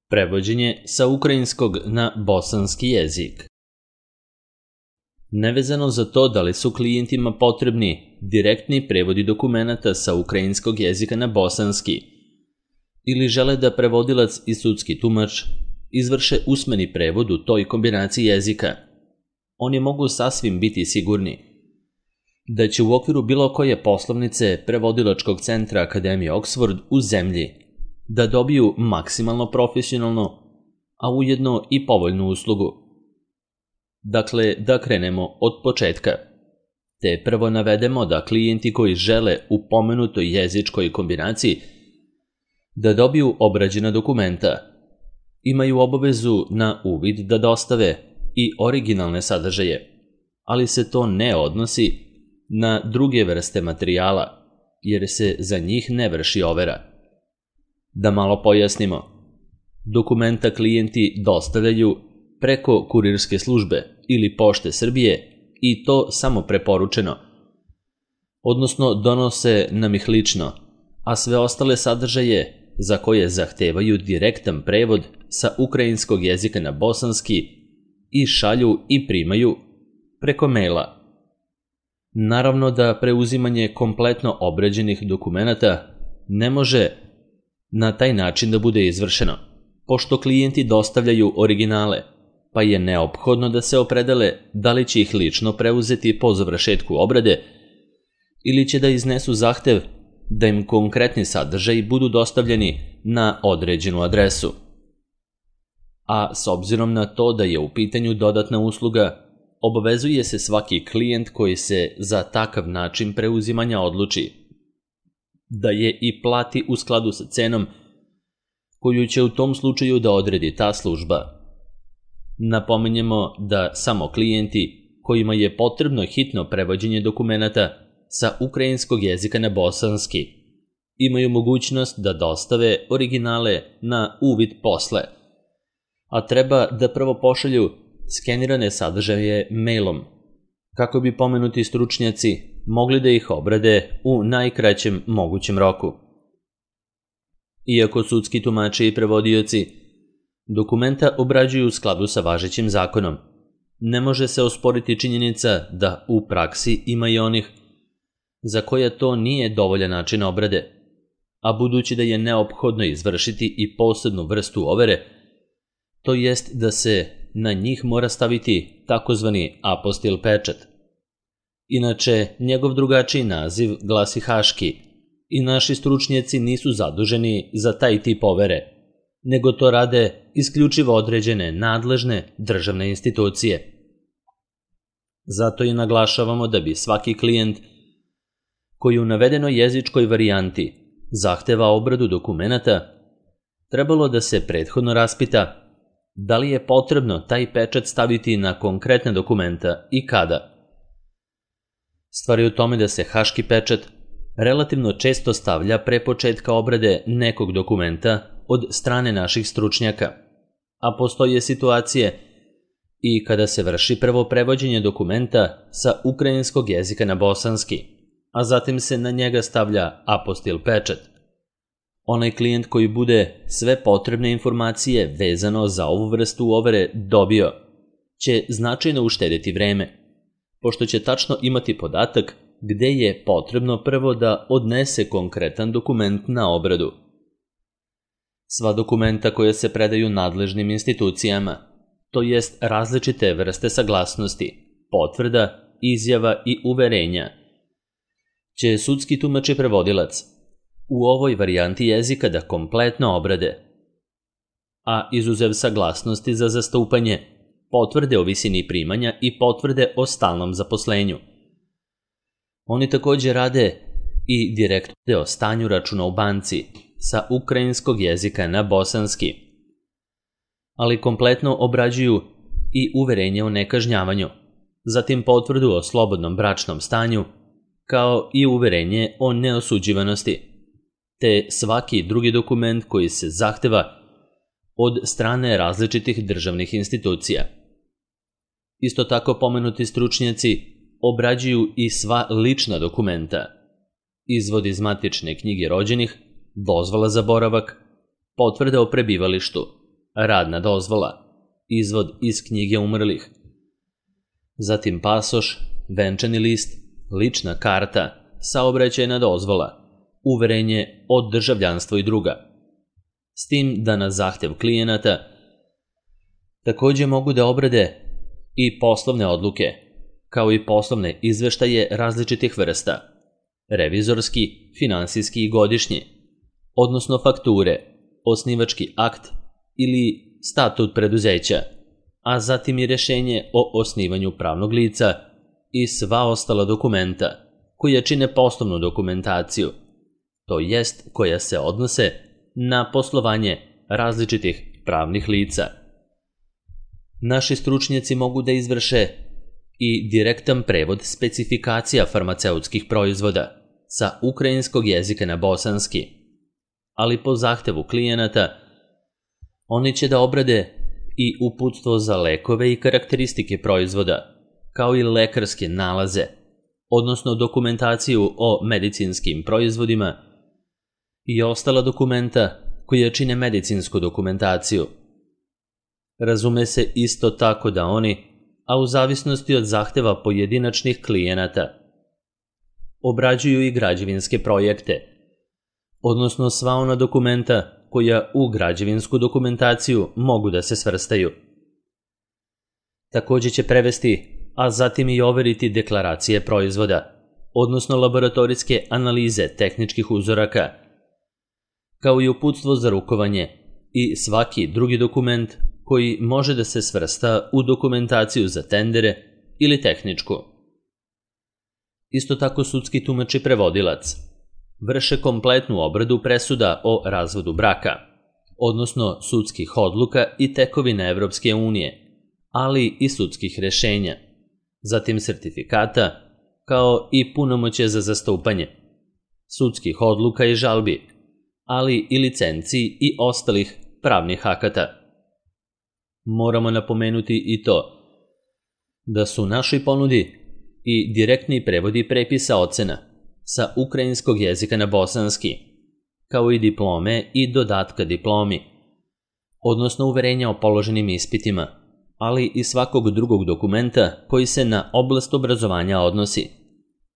Prevođenje sa ukrajinskog na bosanski jezik. Nevezano za to da li su klijentima potrebni direktni prevodi dokumenata sa ukrajinskog jezika na bosanski ili žele da prevodilac i sudski tumač izvrše usmeni prevod u toj kombinaciji jezika, oni mogu sasvim biti sigurni da će u okviru bilo koje poslovnice prevodilačkog centra Akademije Oxford u zemlji da dobiju maksimalno profesionalnu, a ujedno i povoljnu uslugu. Dakle, da krenemo od početka, te prvo navedemo da klijenti koji žele u pomenutoj jezičkoj kombinaciji da dobiju obrađena dokumenta imaju obavezu na uvid da dostave i originalne sadržaje, ali se to ne odnosi na druge vrste materijala, jer se za njih ne vrši overa. Da malo pojasnimo, dokumenta klijenti dostavljaju preko kurirske službe ili Pošte Srbije i to samo preporučeno, odnosno donose nam ih lično, a sve ostale sadržaje za koje zahtevaju direktan prevod sa ukrajinskog jezika na bosanski i šalju i primaju preko maila. Naravno da preuzimanje kompletno obrađenih dokumenata ne može na taj način da bude izvršeno, pošto klijenti dostavljaju originale, pa je neophodno da se opredele da li će ih lično preuzeti po završetku obrade ili će da iznesu zahtev da im konkretni sadržaji budu dostavljeni na određenu adresu. A s obzirom na to da je u pitanju dodatna usluga, obavezuje se svaki klijent koji se za takav način preuzimanja odluči da je i plati u skladu sa cenom koju će u tom slučaju da odredi ta služba. Napominjemo da samo klijenti kojima je potrebno hitno prevođenje dokumenata sa ukrajinskog jezika na bosanski imaju mogućnost da dostave originale na uvid posle, a treba da prvo pošalju skenirane sadržaje mailom, kako bi pomenuti stručnjaci mogli da ih obrade u najkraćem mogućem roku. Iako sudski tumači i prevodioci dokumenta obrađuju u skladu sa važećim zakonom, ne može se osporiti činjenica da u praksi ima i onih za koje to nije dovoljan način obrade, a budući da je neophodno izvršiti i posebnu vrstu overe, to jest da se na njih mora staviti takozvani apostil pečat. Inače, njegov drugačiji naziv glasi haški i naši stručnjaci nisu zaduženi za taj tip overe, nego to rade isključivo određene nadležne državne institucije. Zato i naglašavamo da bi svaki klijent koji u navedenoj jezičkoj varijanti zahteva obradu dokumenata trebalo da se prethodno raspita da li je potrebno taj pečat staviti na konkretne dokumenta i kada. Stvar je u tome da se haški pečat relativno često stavlja pre početka obrade nekog dokumenta od strane naših stručnjaka, a postoje situacije i kada se vrši prvo prevođenje dokumenta sa ukrajinskog jezika na bosanski, a zatim se na njega stavlja apostil pečat. Onaj klijent koji bude sve potrebne informacije vezano za ovu vrstu overe dobio, će značajno uštediti vreme, pošto će tačno imati podatak gde je potrebno prvo da odnese konkretan dokument na obradu. Sva dokumenta koja se predaju nadležnim institucijama, to jest različite vrste saglasnosti, potvrda, izjava i uverenja, će sudski tumač i prevodilac u ovoj varijanti jezika da kompletno obrade, a izuzev saglasnosti za zastupanje, potvrde o visini primanja i potvrde o stalnom zaposlenju. Oni također rade i direktne o stanju računa u banci sa ukrajinskog jezika na bosanski, ali kompletno obrađuju i uverenje o nekažnjavanju, zatim potvrdu o slobodnom bračnom stanju, kao i uverenje o neosuđivanosti, te svaki drugi dokument koji se zahteva od strane različitih državnih institucija. Isto tako pomenuti stručnjaci obrađuju i sva lična dokumenta, izvod iz matične knjige rođenih, dozvola za boravak, potvrda o prebivalištu, radna dozvola, izvod iz knjige umrlih, zatim pasoš, venčani list, lična karta, saobraćajna dozvola, uverenje o državljanstvu i druga. S tim da na zahtev klijenata također mogu da obrade i poslovne odluke, kao i poslovne izveštaje različitih vrsta, revizorski, finansijski i godišnji, odnosno fakture, osnivački akt ili statut preduzeća, a zatim i rješenje o osnivanju pravnog lica i sva ostala dokumenta koja čine poslovnu dokumentaciju, to jest koja se odnose na poslovanje različitih pravnih lica. Naši stručnjaci mogu da izvrše i direktan prevod specifikacija farmaceutskih proizvoda sa ukrajinskog jezika na bosanski, ali po zahtevu klijenata oni će da obrade i uputstvo za lekove i karakteristike proizvoda, kao i lekarske nalaze, odnosno dokumentaciju o medicinskim proizvodima i ostala dokumenta koja čine medicinsku dokumentaciju. Razume se isto tako da oni, a u zavisnosti od zahteva pojedinačnih klijenata, obrađuju i građevinske projekte, odnosno sva ona dokumenta koja u građevinsku dokumentaciju mogu da se svrstaju. Također će prevesti, a zatim i overiti deklaracije proizvoda, odnosno laboratorijske analize tehničkih uzoraka, kao i uputstvo za rukovanje i svaki drugi dokument koji može da se svrsta u dokumentaciju za tendere ili tehničku. Isto tako sudski tumač i prevodilac vrše kompletnu obradu presuda o razvodu braka, odnosno sudskih odluka i tekovina Evropske unije, ali i sudskih rješenja, zatim sertifikata, kao i punomoćje za zastupanje, sudskih odluka i žalbi, ali i licenciji i ostalih pravnih akata. Moramo napomenuti i to da su našoj ponudi i direktni prevodi prepisa ocena sa ukrajinskog jezika na bosanski, kao i diplome i dodatka diplomi, odnosno uverenja o položenim ispitima, ali i svakog drugog dokumenta koji se na oblast obrazovanja odnosi,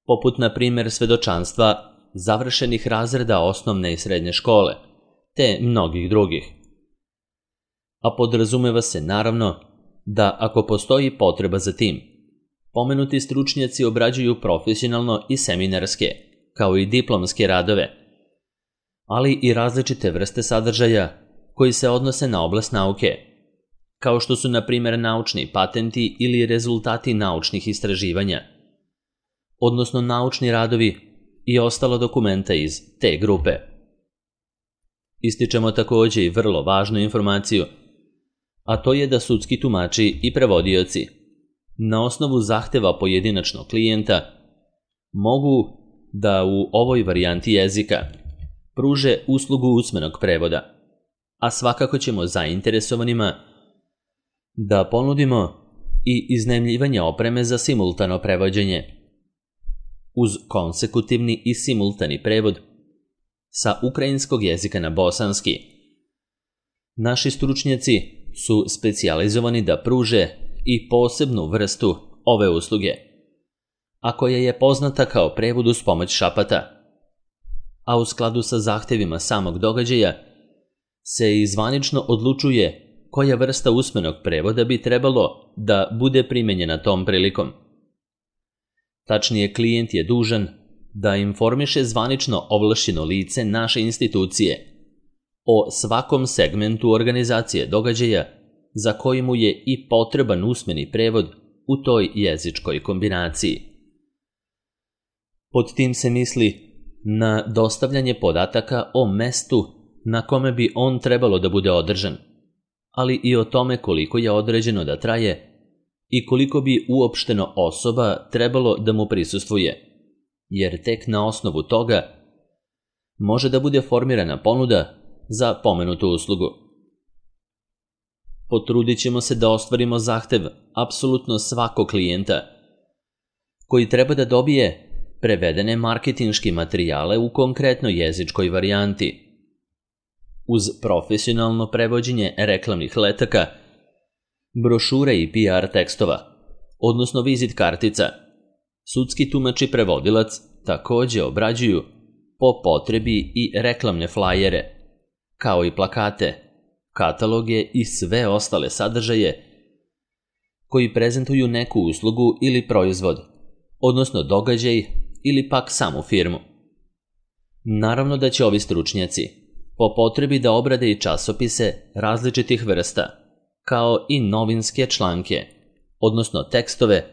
poput na primjer svedočanstva završenih razreda osnovne i srednje škole, te mnogih drugih. A podrazumeva se naravno da ako postoji potreba za tim, pomenuti stručnjaci obrađuju profesionalno i seminarske, kao i diplomske radove, ali i različite vrste sadržaja koji se odnose na oblast nauke, kao što su na primjer naučni patenti ili rezultati naučnih istraživanja, odnosno naučni radovi i ostala dokumenta iz te grupe. Ističemo također i vrlo važnu informaciju, a to je da sudski tumači i prevodioci na osnovu zahteva pojedinačnog klijenta mogu da u ovoj varijanti jezika pruže uslugu usmenog prevoda, a svakako ćemo zainteresovanima da ponudimo i iznajmljivanje opreme za simultano prevođenje, uz konsekutivni i simultani prevod sa ukrajinskog jezika na bosanski. Naši stručnjaci su specijalizovani da pruže i posebnu vrstu ove usluge, a koja je poznata kao prevod uz pomoć šapata, a u skladu sa zahtevima samog događaja se i zvanično odlučuje koja vrsta usmenog prevoda bi trebalo da bude primenjena tom prilikom. Tačnije, klijent je dužan da informiše zvanično ovlašćeno lice naše institucije o svakom segmentu organizacije događaja za koji mu je i potreban usmeni prevod u toj jezičkoj kombinaciji. Pod tim se misli na dostavljanje podataka o mestu na kome bi on trebalo da bude održan, ali i o tome koliko je određeno da traje i koliko bi uopšteno osoba trebalo da mu prisustvuje, jer tek na osnovu toga može da bude formirana ponuda za pomenutu uslugu. Potrudit ćemo se da ostvarimo zahtev apsolutno svakog klijenta koji treba da dobije prevedene marketinški materijale u konkretnoj jezičkoj varijanti, uz profesionalno prevođenje reklamnih letaka, brošure i PR tekstova, odnosno vizit kartica. Sudski tumač i prevodilac također obrađuju po potrebi i reklamne flajere, kao i plakate, kataloge i sve ostale sadržaje koji prezentuju neku uslugu ili proizvod, odnosno događaj ili pak samu firmu. Naravno da će ovi stručnjaci po potrebi da obrade i časopise različitih vrsta, kao i novinske članke, odnosno tekstove,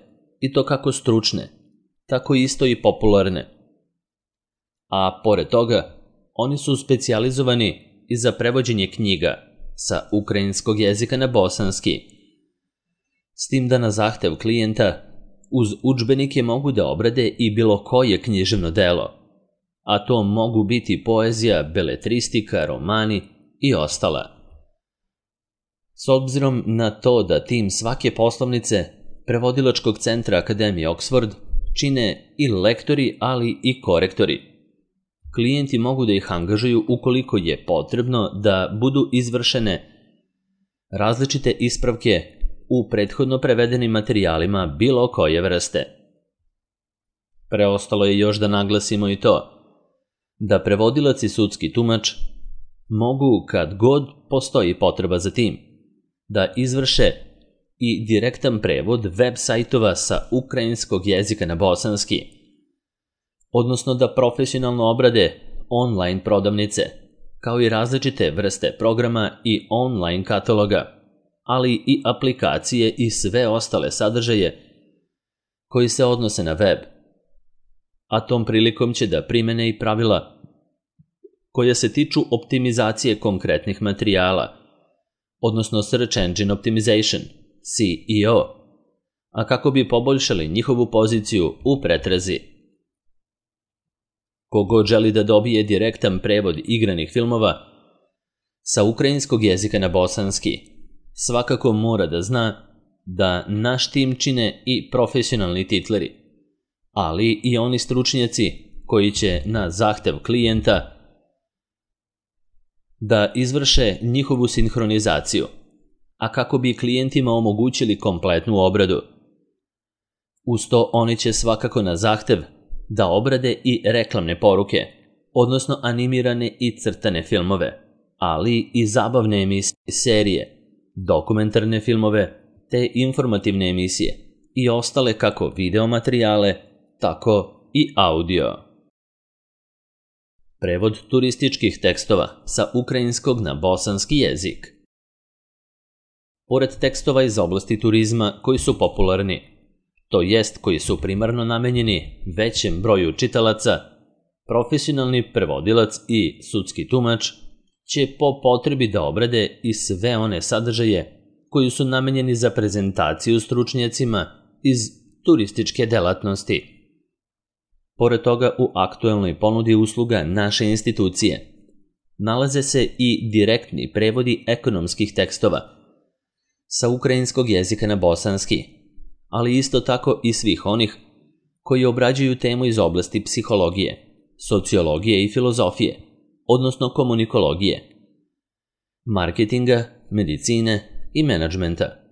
i to kako stručne, tako isto i popularne. A pored toga, oni su specijalizovani i za prevođenje knjiga sa ukrajinskog jezika na bosanski, s tim da na zahtev klijenta uz udžbenike mogu da obrade i bilo koje književno delo, a to mogu biti poezija, beletristika, romani i ostala. S obzirom na to da tim svake poslovnice prevodilačkog centra Akademije Oxford čine i lektori, ali i korektori. Klijenti mogu da ih angažuju ukoliko je potrebno da budu izvršene različite ispravke u prethodno prevedenim materijalima bilo koje vrste. Preostalo je još da naglasimo i to da prevodilac i sudski tumač mogu, kad god postoji potreba za tim, da izvrše i direktan prevod web sajtova sa ukrajinskog jezika na bosanski, odnosno da profesionalno obrade online prodavnice, kao i različite vrste programa i online kataloga, ali i aplikacije i sve ostale sadržaje koji se odnose na web. A tom prilikom će da primene i pravila koja se tiču optimizacije konkretnih materijala, odnosno Search Engine Optimization, SEO, a kako bi poboljšali njihovu poziciju u pretrazi. Kogod želi da dobije direktan prevod igranih filmova sa ukrajinskog jezika na bosanski, svakako mora da zna da naš tim čine i profesionalni titleri, ali i oni stručnjaci koji će na zahtev klijenta da izvrše njihovu sinhronizaciju, a kako bi klijentima omogućili kompletnu obradu. Uz to oni će svakako na zahtev da obrade i reklamne poruke, odnosno animirane i crtane filmove, ali i zabavne emisije, serije, dokumentarne filmove te informativne emisije i ostale kako video materijale, tako i audio. Prevod turističkih tekstova sa ukrajinskog na bosanski jezik. Pored tekstova iz oblasti turizma koji su popularni, to jest koji su primarno namenjeni većem broju čitalaca, profesionalni prevodilac i sudski tumač će po potrebi da obrade i sve one sadržaje koji su namenjeni za prezentaciju stručnjacima iz turističke delatnosti. Pored toga, u aktuelnoj ponudi usluga naše institucije nalaze se i direktni prevodi ekonomskih tekstova sa ukrajinskog jezika na bosanski, ali isto tako i svih onih koji obrađuju temu iz oblasti psihologije, sociologije i filozofije, odnosno komunikologije, marketinga, medicine i menadžmenta.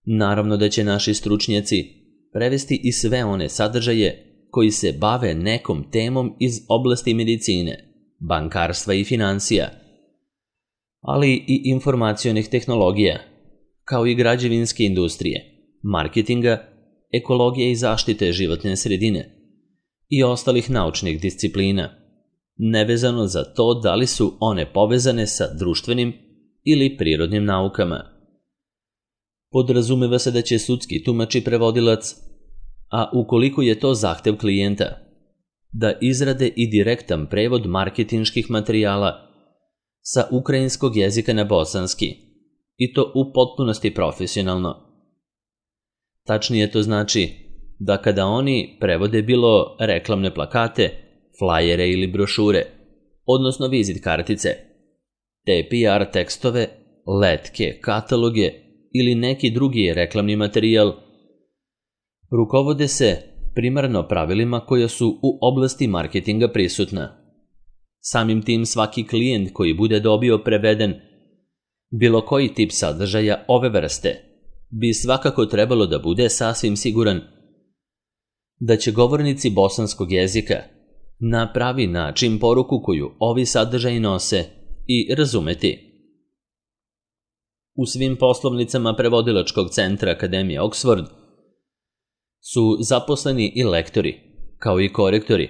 Naravno da će naši stručnjaci prevesti i sve one sadržaje koji se bave nekom temom iz oblasti medicine, bankarstva i financija, ali i informacionih tehnologija, kao i građevinske industrije, marketinga, ekologije i zaštite životne sredine i ostalih naučnih disciplina, nevezano za to da li su one povezane sa društvenim ili prirodnim naukama. Podrazumeva se da će sudski tumač i prevodilac, a ukoliko je to zahtev klijenta, da izrade i direktan prevod marketinških materijala sa ukrajinskog jezika na bosanski, i to u potpunosti profesionalno. Tačnije to znači da kada oni prevode bilo reklamne plakate, flajere ili brošure, odnosno vizit kartice, te PR tekstove, letke, kataloge ili neki drugi reklamni materijal, rukovode se primarno pravilima koja su u oblasti marketinga prisutna. Samim tim svaki klijent koji bude dobio preveden bilo koji tip sadržaja ove vrste bi svakako trebalo da bude sasvim siguran da će govornici bosanskog jezika na pravi način poruku koju ovi sadržaji nose i razumeti. U svim poslovnicama prevodilačkog centra Akademije Oxford su zaposleni i lektori, kao i korektori,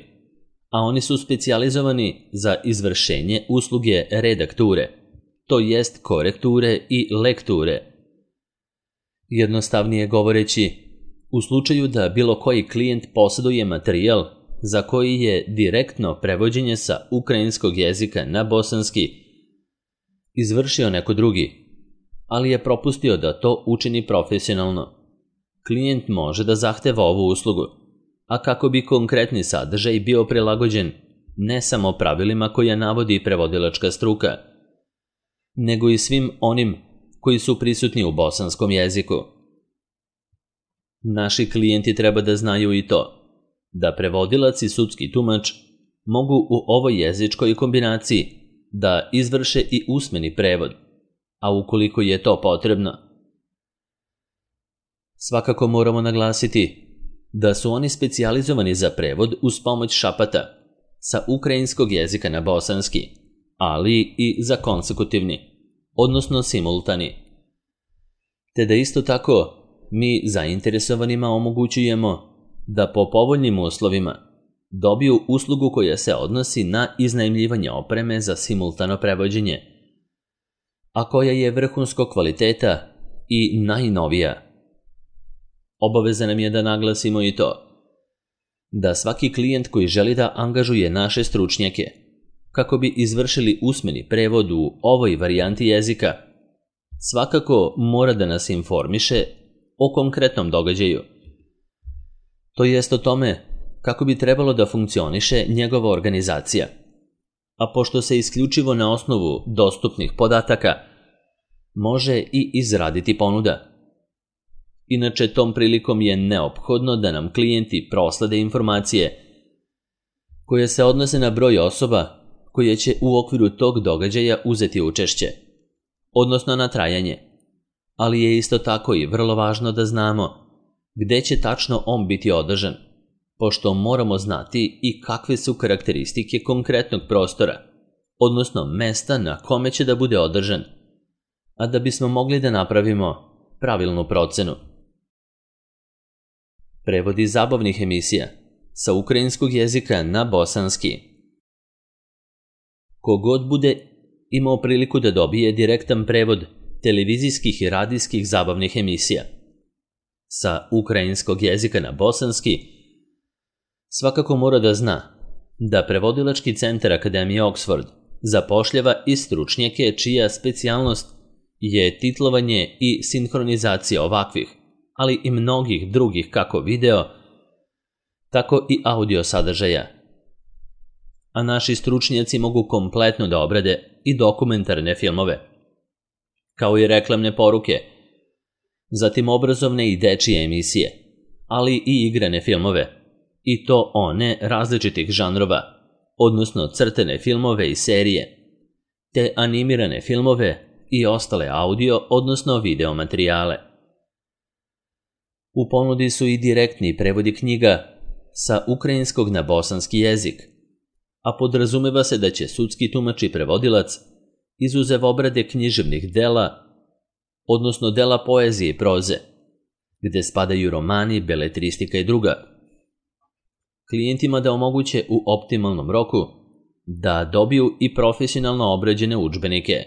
a oni su specijalizovani za izvršenje usluge redakture, to jest korekture i lekture. Jednostavnije govoreći, u slučaju da bilo koji klijent posjeduje materijal za koji je direktno prevođenje sa ukrajinskog jezika na bosanski izvršio neko drugi, ali je propustio da to učini profesionalno, klijent može da zahteva ovu uslugu, a kako bi konkretni sadržaj bio prilagođen ne samo pravilima koja navodi prevodilačka struka, nego i svim onim koji su prisutni u bosanskom jeziku. Naši klijenti treba da znaju i to, da prevodilac i sudski tumač mogu u ovoj jezičkoj kombinaciji da izvrše i usmeni prevod, a ukoliko je to potrebno. Svakako moramo naglasiti da su oni specijalizovani za prevod uz pomoć šapata sa ukrajinskog jezika na bosanski, ali i za konsekutivni, odnosno simultani. Te da isto tako mi zainteresovanima omogućujemo da po povoljnim uslovima dobiju uslugu koja se odnosi na iznajmljivanje opreme za simultano prevođenje, a koja je vrhunskog kvaliteta i najnovija. Obaveza nam je da naglasimo i to, da svaki klijent koji želi da angažuje naše stručnjake kako bi izvršili usmeni prevod u ovoj varijanti jezika, svakako mora da nas informiše o konkretnom događaju. To jest o tome kako bi trebalo da funkcioniše njegova organizacija, a pošto se isključivo na osnovu dostupnih podataka može i izraditi ponuda. Inače, tom prilikom je neophodno da nam klijenti proslede informacije koje se odnose na broj osoba koje će u okviru tog događaja uzeti učešće, odnosno na trajanje, ali je isto tako i vrlo važno da znamo gde će tačno on biti održan, pošto moramo znati i kakve su karakteristike konkretnog prostora, odnosno mesta na kome će da bude održan, a da bismo mogli da napravimo pravilnu procenu. Prevodi zabavnih emisija sa ukrajinskog jezika na bosanski. Kogod bude imao priliku da dobije direktan prevod televizijskih i radijskih zabavnih emisija sa ukrajinskog jezika na bosanski, svakako mora da zna da prevodilački centar Akademije Oxford zapošljava i stručnjake čija specijalnost je titlovanje i sinhronizacija ovakvih, ali i mnogih drugih kako video, tako i audio sadržaja. A naši stručnjaci mogu kompletno da obrade i dokumentarne filmove, kao i reklamne poruke, zatim obrazovne i dečije emisije, ali i igrane filmove, i to one različitih žanrova, odnosno crtene filmove i serije, te animirane filmove i ostale audio, odnosno video materijale. U ponudi su i direktni prevodi knjiga sa ukrajinskog na bosanski jezik, a podrazumeva se da će sudski tumač i prevodilac, izuzev obrade književnih dela, odnosno dela poezije i proze, gde spadaju romani, beletristika i druga, klijentima da omoguće u optimalnom roku da dobiju i profesionalno obrađene udžbenike.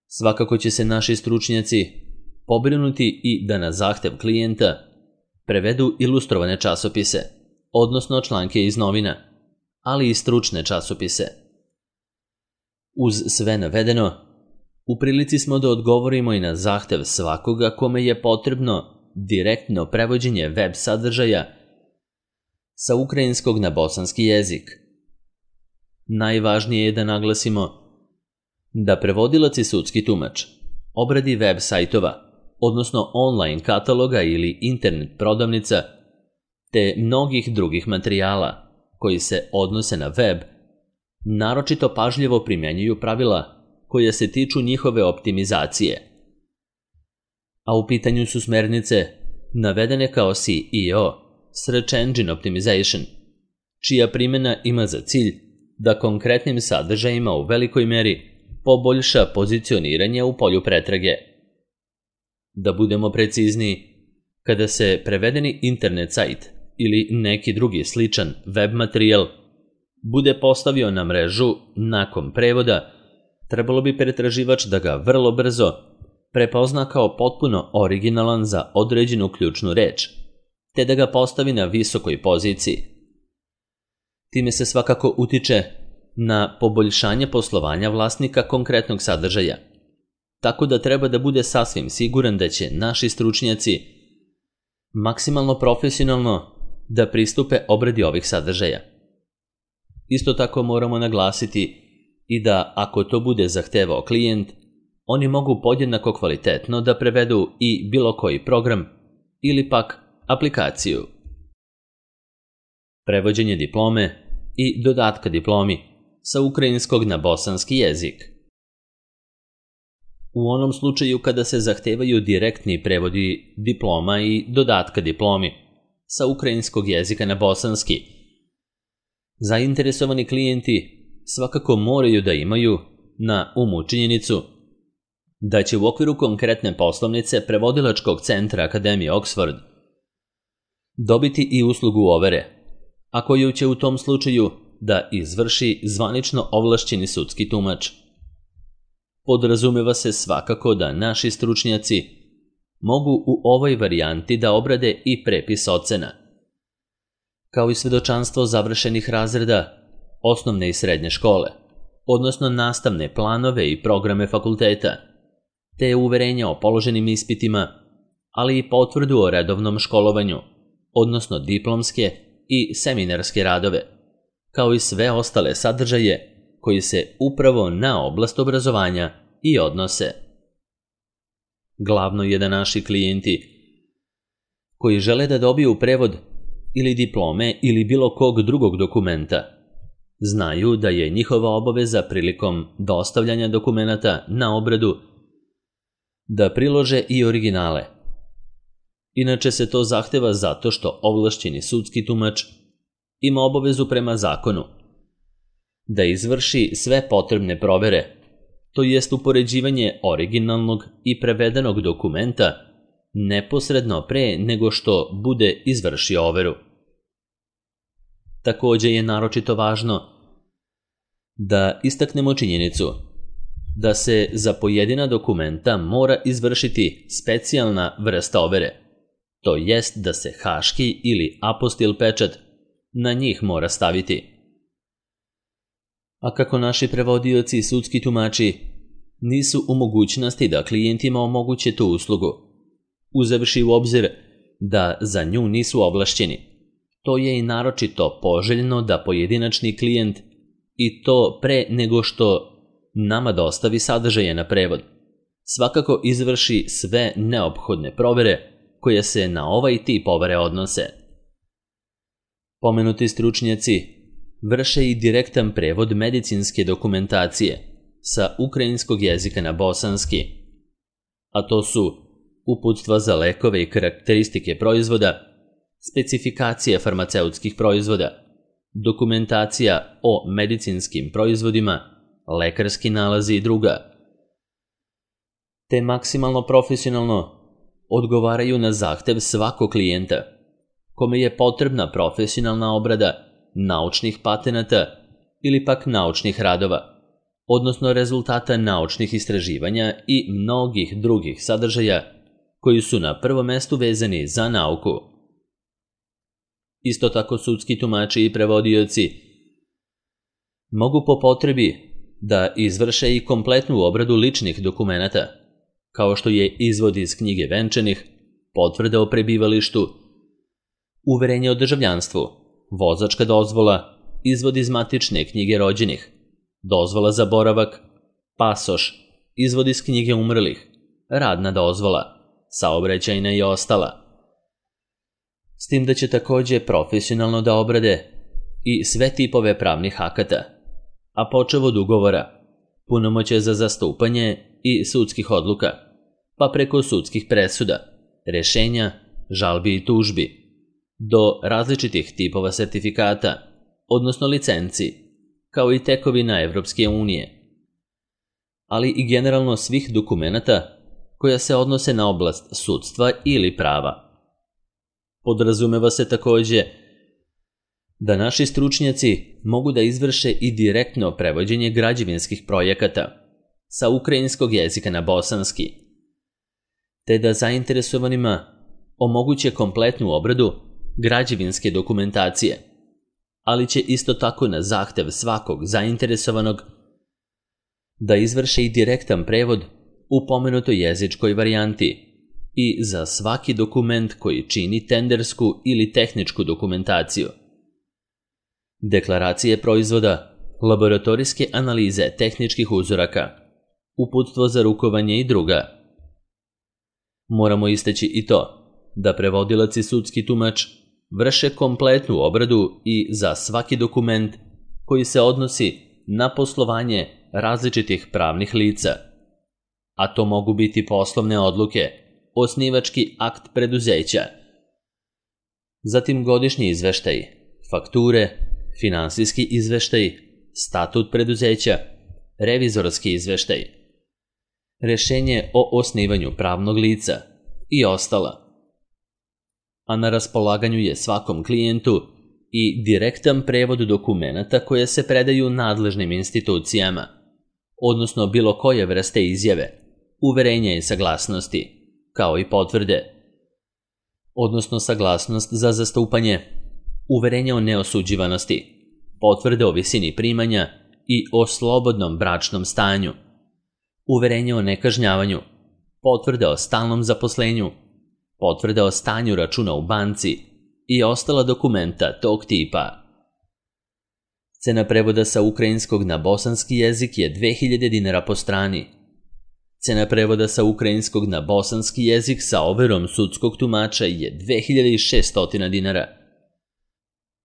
Svakako će se naši stručnjaci pobrinuti i da na zahtev klijenta prevedu ilustrovane časopise, odnosno članke iz novina, ali i stručne časopise. Uz sve navedeno, u prilici smo da odgovorimo i na zahtev svakoga kome je potrebno direktno prevođenje web sadržaja sa ukrajinskog na bosanski jezik. Najvažnije je da naglasimo da prevodilac i sudski tumač obradi web sajtova, odnosno online kataloga ili internet prodavnica, te mnogih drugih materijala koji se odnose na web, naročito pažljivo primjenjuju pravila koja se tiču njihove optimizacije. A u pitanju su smernice navedene kao SEO, Search Engine Optimization, čija primjena ima za cilj da konkretnim sadržajima u velikoj meri poboljša pozicioniranje u polju pretrage. Da budemo precizniji, kada se prevedeni internet sajt ili neki drugi sličan web materijal bude postavio na mrežu nakon prevoda, trebalo bi pretraživač da ga vrlo brzo prepozna kao potpuno originalan za određenu ključnu reč, te da ga postavi na visokoj poziciji. Time se svakako utiče na poboljšanje poslovanja vlasnika konkretnog sadržaja, tako da treba da bude sasvim siguran da će naši stručnjaci maksimalno profesionalno da pristupe obradi ovih sadržaja. Isto tako moramo naglasiti i da ako to bude zahtevao klijent, oni mogu podjednako kvalitetno da prevedu i bilo koji program ili pak aplikaciju. Prevođenje diplome i dodatka diplomi sa ukrajinskog na bosanski jezik. U onom slučaju kada se zahtevaju direktni prevodi diploma i dodatka diplomi sa ukrajinskog jezika na bosanski, zainteresovani klijenti svakako moraju da imaju na umu činjenicu da će u okviru konkretne poslovnice prevodilačkog centra Akademije Oxford dobiti i uslugu overe, a koju će u tom slučaju da izvrši zvanično ovlašćeni sudski tumač. Podrazumeva se svakako da naši stručnjaci mogu u ovoj varijanti da obrade i prepis ocena, kao i svedočanstvo završenih razreda osnovne i srednje škole, odnosno nastavne planove i programe fakulteta, te uverenja o položenim ispitima, ali i potvrdu o redovnom školovanju, odnosno diplomske i seminarske radove, kao i sve ostale sadržaje koji se upravo na oblast obrazovanja i odnose. Glavno je da naši klijenti koji žele da dobiju prevod ili diplome ili bilo kog drugog dokumenta znaju da je njihova obaveza prilikom dostavljanja dokumenata na obradu da prilože i originale. Inače se to zahteva zato što ovlašćeni sudski tumač ima obavezu prema zakonu da izvrši sve potrebne provere, to jest upoređivanje originalnog i prevedenog dokumenta neposredno pre nego što bude izvršio overu. Također je naročito važno da istaknemo činjenicu da se za pojedina dokumenta mora izvršiti specijalna vrsta overe, to jest da se haški ili apostil pečat na njih mora staviti. A kako naši prevodioci i sudski tumači nisu u mogućnosti da klijentima omoguće tu uslugu, uzevši u obzir da za nju nisu ovlašćeni, to je i naročito poželjno da pojedinačni klijent i to pre nego što nama dostavi sadržaje na prevod, svakako izvrši sve neophodne provere koje se na ovaj tip overe odnose. Pomenuti stručnjaci vrše i direktan prevod medicinske dokumentacije sa ukrajinskog jezika na bosanski, a to su uputstva za lekove i karakteristike proizvoda, specifikacije farmaceutskih proizvoda, dokumentacija o medicinskim proizvodima, lekarski nalazi i druga, te maksimalno profesionalno odgovaraju na zahtev svakog klijenta, kome je potrebna profesionalna obrada naučnih patenata ili pak naučnih radova, odnosno rezultata naučnih istraživanja i mnogih drugih sadržaja koji su na prvom mestu vezani za nauku. Isto tako sudski tumači i prevodioci mogu po potrebi da izvrše i kompletnu obradu ličnih dokumenata, kao što je izvod iz knjige venčanih, potvrda o prebivalištu, uverenje o državljanstvu, vozačka dozvola, izvod iz matične knjige rođenih, dozvola za boravak, pasoš, izvod iz knjige umrlih, radna dozvola, saobraćajna i ostala. S tim da će također profesionalno da obrade i sve tipove pravnih akata, a počev od ugovora, punomoćje za zastupanje i sudskih odluka, pa preko sudskih presuda, rešenja, žalbi i tužbi, do različitih tipova sertifikata, odnosno licenci, kao i tekovina Evropske unije, ali i generalno svih dokumenata koja se odnose na oblast sudstva ili prava. Podrazumeva se takođe da naši stručnjaci mogu da izvrše i direktno prevođenje građevinskih projekata sa ukrajinskog jezika na bosanski, te da zainteresovanima omoguće kompletnu obradu građevinske dokumentacije, ali će isto tako na zahtev svakog zainteresovanog da izvrše i direktan prevod u pomenutoj jezičkoj varijanti i za svaki dokument koji čini tendersku ili tehničku dokumentaciju, deklaracije proizvoda, laboratorijske analize tehničkih uzoraka, uputstvo za rukovanje i druga. Moramo istaći i to da prevodilac i sudski tumač vrše kompletnu obradu i za svaki dokument koji se odnosi na poslovanje različitih pravnih lica, a to mogu biti poslovne odluke, osnivački akt preduzeća, zatim godišnji izveštaj, fakture, finansijski izveštaj, statut preduzeća, revizorski izveštaj, rešenje o osnivanju pravnog lica i ostala. A na raspolaganju je svakom klijentu i direktan prevod dokumenata koje se predaju nadležnim institucijama, odnosno bilo koje vrste izjave, uverenja i saglasnosti, kao i potvrde, odnosno saglasnost za zastupanje, uverenje o neosuđivanosti, potvrde o visini primanja i o slobodnom bračnom stanju, uverenje o nekažnjavanju, potvrde o stalnom zaposlenju, potvrde o stanju računa u banci i ostala dokumenta tog tipa. Cena prevoda sa ukrajinskog na bosanski jezik je 2000 dinara po strani. Cena prevoda sa ukrajinskog na bosanski jezik sa overom sudskog tumača je 2600 dinara.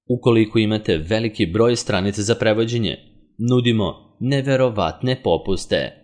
Ukoliko imate veliki broj stranica za prevođenje, nudimo neverovatne popuste.